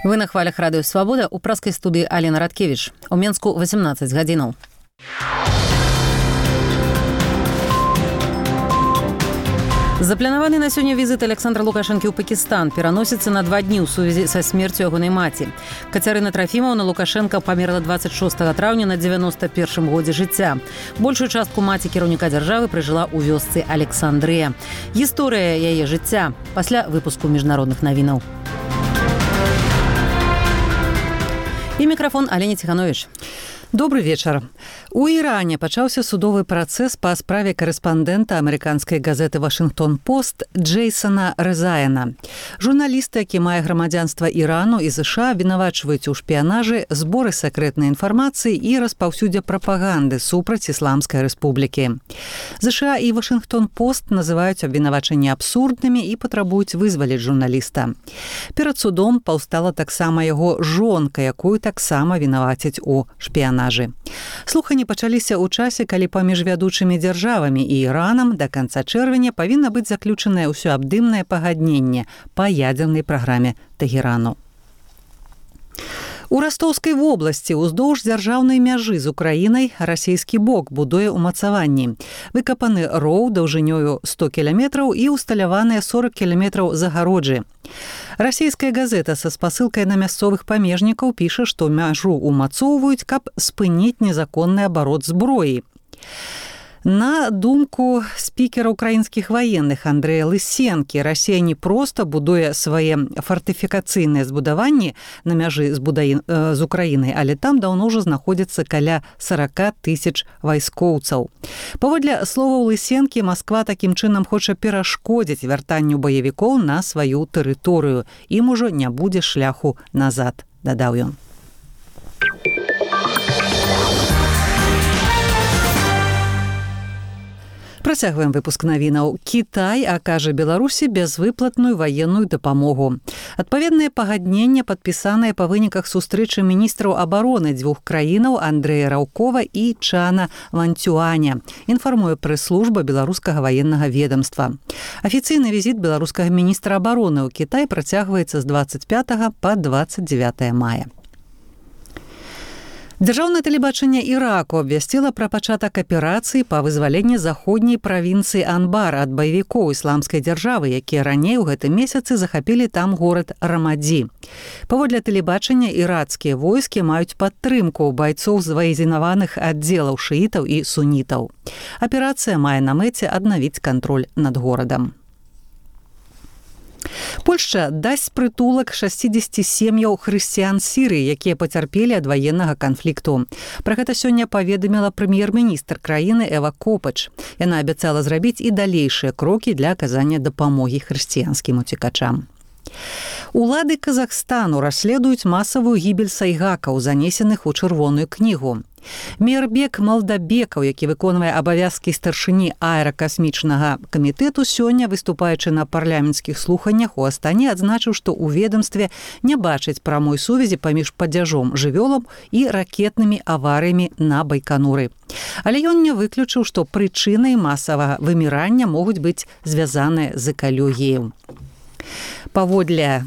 Вы на хвалях радыё «Свабода», у праскай студыі Алена Радкевіч. У Менску 18 гадзінаў. Запланаваны на сёння візіт Александра Лукашэнкі ў Пакістан пераносіцца на 2 дні ў сувязі са смерцю ягонай маці. Кацярына Трафімаўна Лукашэнка памерла 26 траўня на 91 годзе жыцця. Большую частку маці кіраўніка дзяржавы пражыла ў вёсцы Александрыя. Гісторыя яе жыцця пасля выпуску міжнародных навінаў. І мікрафон Алені Ціхановіч. Добрый вечар. У Іране пачаўся судовы працэс па справе корэспандэнта амерыканскай газеты «Вашынгтон-Пост» Джейсона Резаяна. Журналіст, які мае грамадзянства Ірану і США, вінавачваюць у шпіянажы, зборы сакрэтнай інфармацыі і распаўсюдзе прапаганды супраць Ісламскай рэспублікі. США і «Вашынгтон-Пост» называюць абвінавачанні абсурднымі і патрабуюць вызваліць журналіста. Перад судом паўстала таксама яго жонка, якую таксама вінавацяць у шпіянажы. Слуханні пачаліся ў часе, калі паміж вядучымі дзяржавамі і Іранам да канца чэрвеня павінна быць заключанае ўсеабдымнае пагадненне па ядзернай праграме Тэгерану. У Растоўскай вобласці ўздоўж дзяржаўнай мяжы з Украінай расійскі бок будуе ўмацаванні. Выкапаны роў даўжынёю 100 кіламетраў і усталяваныя 40 кіламетраў загароджы. Расійская газета са спасылкай на мясцовых памежнікаў піша, што мяжу ўмацоўваюць, каб спыніць незаконны абарот зброі. На думку спікера украінскіх ваенных Андрэя Лысенкі, Расія не проста будуе свае фартыфікацыйныя збудаванні на мяжы з Украінай, але там даўно ўжо знаходзіцца каля 40 000 вайскоўцаў. Паводле словаў Лысенкі, Масква такім чынам хоча перашкодзіць вяртанню баевікоў на сваю тэрыторыю. Ім ужо не будзе шляху назад, дадаў ён. Працягваем выпуск навінаў. Кітай акажа Беларусі бязвыплатную ваенную дапамогу. Адпаведнае пагадненне падпісанае па выніках сустрэчы міністраў абароны дзвюх краінаў Андрэя Раўкова і Чана Ванцюаня, інфармуе прэс-служба беларускага ваеннага ведамства. Афіцыйны візіт беларускага міністра абароны ў Кітай працягваецца з 25 па 29 мая. Дзяржаўнае тэлебачанне Іраку абвясціла пра пачатак аперацыі па вызваленні заходняй правінцыі Анбар ад баевікоў ісламскай дзяржавы, якія раней у гэтым месяцы захапілі там горад Рамадзі. Паводле тэлебачання ірацкія войскі маюць падтрымку байцоў з ваезінаваных аддзелаў шыітаў і сунітаў. Аперацыя мае на мэце аднавіць кантроль над горадам. Польшча дасць прытулак 60 сем'яў хрысціян Сірыі, якія пацярпелі ад ваеннага канфлікту. Пра гэта сёння паведаміла прэм'ер-міністр краіны Эва Копач. Яна абяцала зрабіць і далейшыя крокі для аказання дапамогі хрысціянскім уцекачам. Улады Казахстану расследуюць масавую гібель сайгакаў, занесеных у чырвоную кнігу. Мейербек Малдабекаў, які выконвае абавязкі старшыні аэракасмічнага камітэту, сёння, выступаючы на парламенцкіх слуханнях у Астане, адзначыў, што ў ведамстве не бачыць прамой сувязі паміж падзяжом жывёлам і ракетнымі аварыямі на Байкануры. Але ён не выключыў, што прычынай масавага вымірання могуць быць звязаныя з экалогіяй. Паводле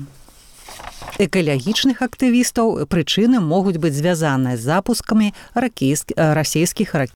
экалагічных актывістаў прычыны могуць быць звязаныя з запускамі расійскіх ракет.